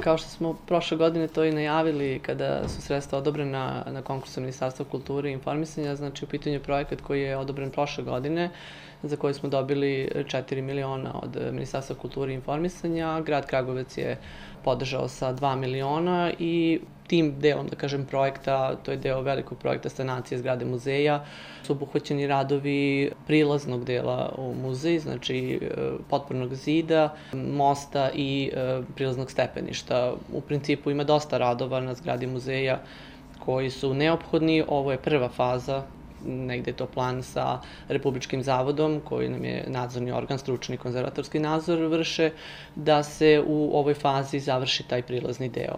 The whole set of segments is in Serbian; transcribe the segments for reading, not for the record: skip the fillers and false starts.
Kao što smo prošle godine to i najavili kada su sredstva odobrena na konkursu Ministarstva kulture i informisanja, znači u pitanju je projekat koji je odobren prošle godine, za koji smo dobili 4 miliona od Ministarstva kulture i informisanja. Grad Kragujevac je podržao sa 2 miliona i tim delom, da kažem, projekta, to je deo velikog projekta sanacije zgrade muzeja, su obuhvaćeni radovi prilaznog dela u muzej, znači potpornog zida, mosta i prilaznog stepeništa. U principu ima dosta radova na zgradi muzeja koji su neophodni. Ovo je prva faza, negde je to plan sa Republičkim zavodom, koji nam je nadzorni organ, stručni konzervatorski nadzor vrše, da se u ovoj fazi završi taj prilazni deo.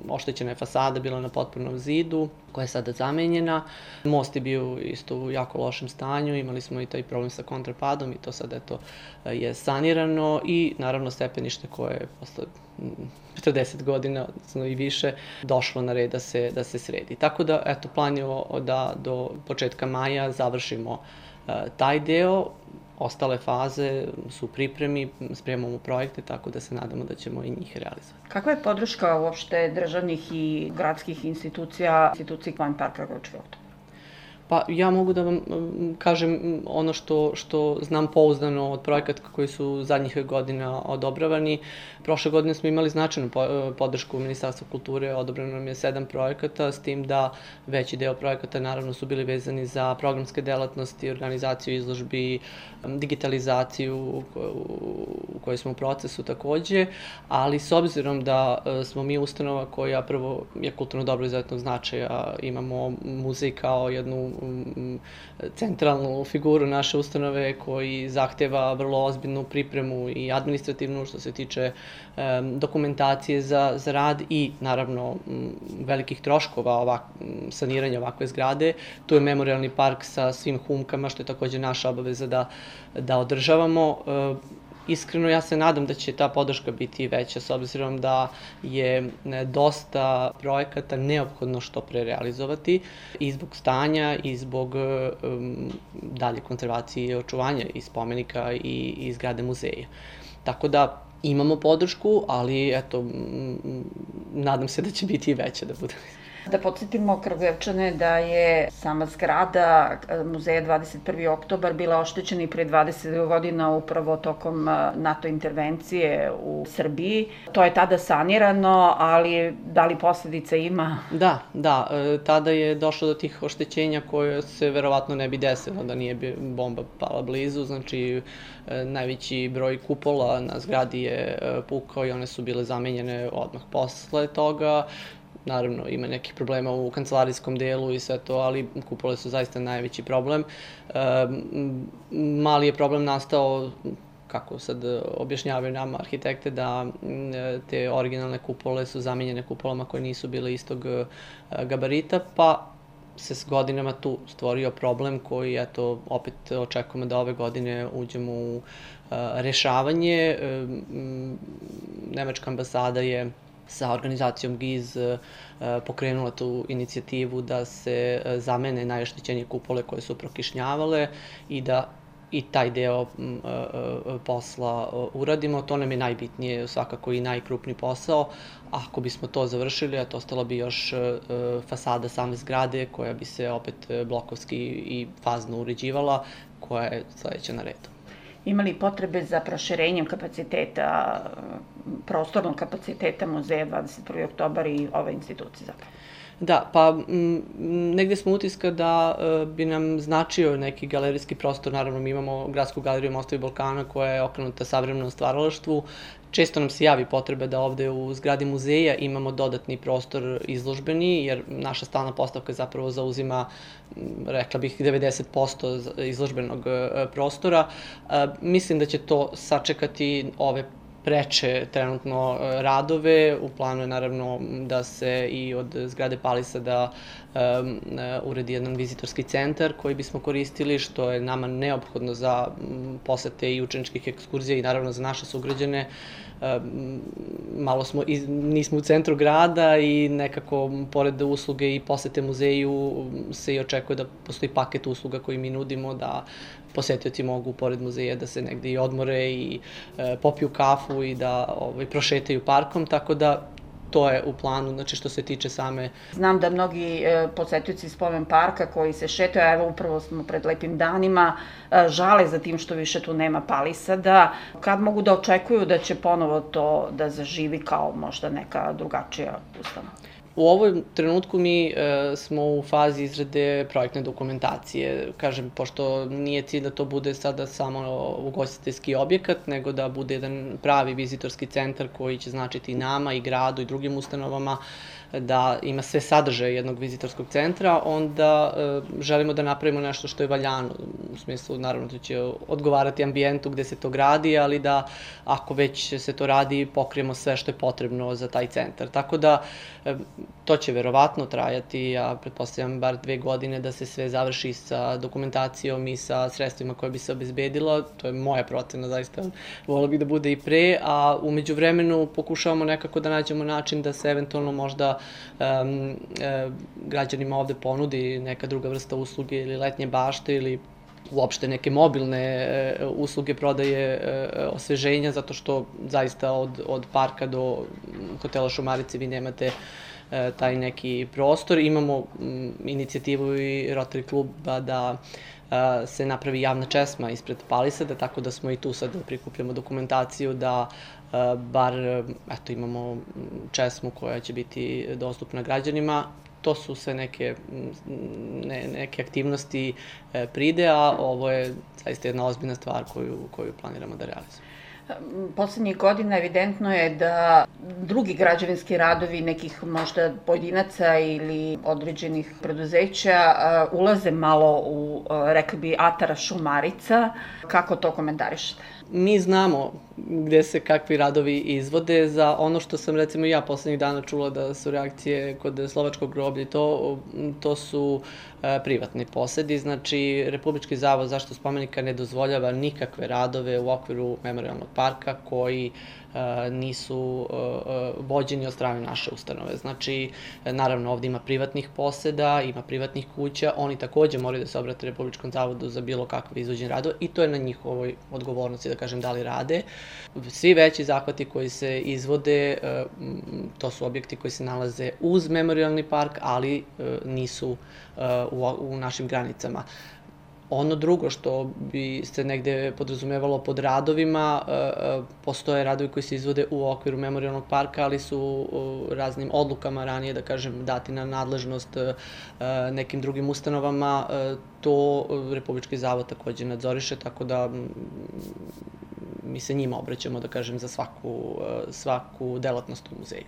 Oštećena je fasada, bila na potpornom zidu, koja je sada zamenjena. Most je bio isto u jako lošem stanju, imali smo i taj problem sa kontrapadom i to sad eto je sanirano i naravno stepenište koje je posle 40 godina, odnosno i više, došlo na red da se sredi. Tako da, eto, plan je da do početka maja završimo taj deo. Ostale faze su u pripremi, spremamo projekte, tako da se nadamo da ćemo i njih realizovati. Kakva je podrška uopšte državnih i gradskih institucija, instituciji Plan Park Kragujevački oktobar? Pa ja mogu da vam kažem ono što znam pouzdano od projekata koji su zadnjih godina odobravani. Prošle godine smo imali značajnu podršku Ministarstva kulture, odobrano nam je 7 projekata, s tim da veći deo projekata naravno su bili vezani za programske delatnosti, organizaciju izložbi, digitalizaciju u kojoj smo u procesu takođe, ali s obzirom da smo mi ustanova koja prvo je kulturno dobro izuzetnog značaja, imamo muzej kao jednu centralnu figuru naše ustanove koji zahteva vrlo ozbiljnu pripremu i administrativnu što se tiče dokumentacije za rad i naravno velikih troškova saniranja ovakve zgrade. Tu je memorialni park sa svim humkama što je takođe naša obaveza da održavamo. Iskreno, ja se nadam da će ta podrška biti veća, s obzirom da je dosta projekata neophodno što pre realizovati i zbog stanja i zbog dalje konzervacije i očuvanja i spomenika i zgrade muzeja. Tako da imamo podršku, ali eto, nadam se da će biti i veća da bude. Da podsjetimo Kragujevčane da je sama zgrada muzeja 21. oktobar bila oštećena i pre 20 godina upravo tokom NATO intervencije u Srbiji. To je tada sanirano, ali da li posledica ima? Da, tada je došlo do tih oštećenja koje se verovatno ne bi desilo da nije bomba pala blizu, znači najveći broj kupola na zgradi je pukao i one su bile zamenjene odmah posle toga. Naravno, ima nekih problema u kancelarijskom delu i sve to, ali kupole su zaista najveći problem. Mali je problem nastao, kako sad objašnjavaju nama arhitekte, da te originalne kupole su zamenjene kupolama koje nisu bile istog gabarita, pa se s godinama tu stvorio problem koji, eto, opet očekujemo da ove godine uđemo u rešavanje. Nemačka ambasada je sa organizacijom GIZ pokrenula tu inicijativu da se zamene najoštećenije kupole koje su prokišnjavale i da i taj deo posla uradimo. To nam je najbitnije, svakako i najkrupniji posao. Ako bismo to završili, ostala bi još fasada same zgrade koja bi se opet blokovski i fazno uređivala, koja je sledeća na redu. Ima li potrebe za proširenjem kapaciteta, prostornog kapaciteta muzeja 21. oktobar i ove institucije zapravo? Da, pa negde smo utiska da bi nam značio neki galerijski prostor. Naravno, mi imamo Gradsku galeriju Mostovi Balkana koja je okrenuta savremenom stvaralaštvu. Često nam se javi potrebe da ovde u zgradi muzeja imamo dodatni prostor izložbeni, jer naša stalna postavka zapravo zauzima, rekla bih, 90% izložbenog prostora. Mislim da će to sačekati ove preče trenutno radove. U planu je naravno da se i od zgrade Palisa da uredi jedan vizitorski centar koji bismo koristili, što je nama neophodno za posete i učeničkih ekskurzija i naravno za naše sugrađane. Malo nismo u centru grada i nekako pored usluge i posete muzeju se i očekuje da postoji paket usluga koji mi nudimo, da posetioci mogu pored muzeja da se negde i odmore i popiju kafu i da prošetaju parkom, tako da to je u planu, znači što se tiče same... Znam da mnogi posetioci spomen parka koji se šetaju, a evo upravo smo pred lepim danima, žale za tim što više tu nema palisada. Kad mogu da očekuju da će ponovo to da zaživi kao možda neka drugačija ustanova? U ovom trenutku mi smo u fazi izrade projektne dokumentacije. Kažem, pošto nije cilj da to bude sada samo ugostiteljski objekat, nego da bude jedan pravi vizitorski centar koji će značiti i nama, i gradu, i drugim ustanovama, da ima sve sadržaje jednog vizitorskog centra, onda želimo da napravimo nešto što je valjano. U smislu, naravno, da će odgovarati ambijentu gde se to gradi, ali da ako već se to radi, pokrijemo sve što je potrebno za taj centar. Tako da, to će verovatno trajati, ja pretpostavljam, bar 2 godine da se sve završi sa dokumentacijom i sa sredstvima koje bi se obezbedilo. To je moja procena, zaista volila bih da bude i pre, a umeđu vremenu pokušavamo nekako da nađemo način da se eventualno možda građanima ovde ponudi neka druga vrsta usluge ili letnje bašte ili uopšte neke mobilne usluge prodaje osveženja, zato što zaista od parka do hotela Šumarice vi nemate taj neki prostor. Imamo inicijativu i Rotary kluba da se napravi javna česma ispred palisada, tako da smo i tu sad prikupljamo dokumentaciju da bar imamo česmu koja će biti dostupna građanima. To su sve neke aktivnosti pride, a ovo je zaista jedna ozbiljna stvar koju planiramo da realizujemo. Poslednjih godina evidentno je da drugi građevinski radovi nekih možda pojedinaca ili određenih preduzeća ulaze malo u, rekli bi, atara Šumarica. Kako to komentarišete? Mi znamo gde se kakvi radovi izvode. Za ono što sam, recimo, ja poslednjih dana čula da su reakcije kod Slovačkog groblja, to su privatni posedi. Znači, Republički zavod za zaštitu spomenika ne dozvoljava nikakve radove u okviru memorijalnog parka koji nisu vođeni od strane naše ustanove. Znači, naravno, ovde ima privatnih poseda, ima privatnih kuća, oni takođe moraju da se obrate Republičkom zavodu za bilo kakve izvođenje radova i to je na njihovoj odgovornosti, da kažem, da li rade. Svi veći zahvati koji se izvode, to su objekti koji se nalaze uz memorijalni park, ali nisu u našim granicama. Ono drugo što bi se negde podrazumevalo pod radovima, postoje radovi koji se izvode u okviru memorijalnog parka, ali su raznim odlukama ranije, da kažem, dati na nadležnost nekim drugim ustanovama. To Republički zavod takođe nadzoriše, tako da mi se njima obraćamo, da kažem, za svaku delatnost u muzeju.